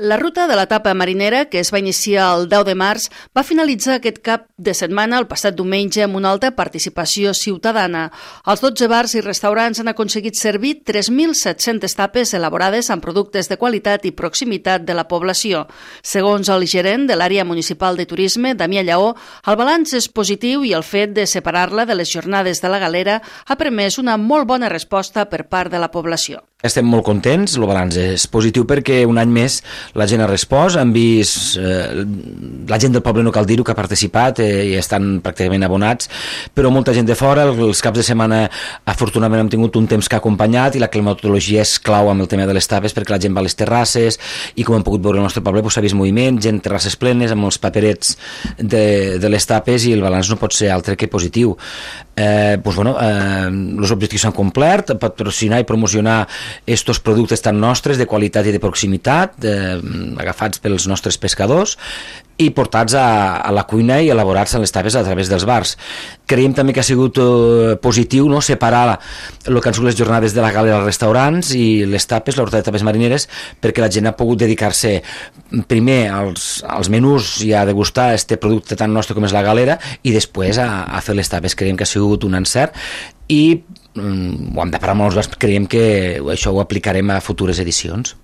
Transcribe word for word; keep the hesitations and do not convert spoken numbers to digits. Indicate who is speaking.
Speaker 1: La ruta de l'etapa marinera, que es va iniciar el deu de març, va finalitzar aquest cap de setmana el passat diumenge amb una alta participació ciutadana. Els dotze bars i restaurants han aconseguit servir tres mil set-centes tapes elaborades amb productes de qualitat i proximitat de la població. Segons el gerent de l'àrea municipal de turisme, Damià Lleó, el balanç és positiu i el fet de separar-la de les jornades de la galera ha permès una molt bona resposta per part de la població.
Speaker 2: Estem molt contents, el balanç és positiu perquè un any més la gent ha respost, han vist, eh, la gent del poble no cal dir-ho que ha participat eh, i estan pràcticament abonats, però molta gent de fora, els caps de setmana afortunadament hem tingut un temps que ha acompanyat i la climatologia és clau amb el tema de les tapes perquè la gent va a les terrasses i com hem pogut veure al nostre poble s'ha vist moviment, gent terrasses plenes amb els paperets de, de les tapes i el balanç no pot ser altre que positiu. Eh, doncs, bueno, eh, els objectius s'han complert, patrocinar i promocionar estos productes tan nostres de qualitat i de proximitat eh, agafats pels nostres pescadors i portats a, a la cuina i elaborats a les tapes a través dels bars. Creiem també que ha sigut eh, positiu, no?, separar el que han sigut les jornades de la galera als restaurants i les tapes, la ruta de tapes marineres, perquè la gent ha pogut dedicar-se primer als, als menús i a degustar este producte tan nostre com és la galera i després a, a fer les tapes. Creiem que ha sigut un encert i mm, ho hem de parar amb els bars, creiem que això ho aplicarem a futures edicions.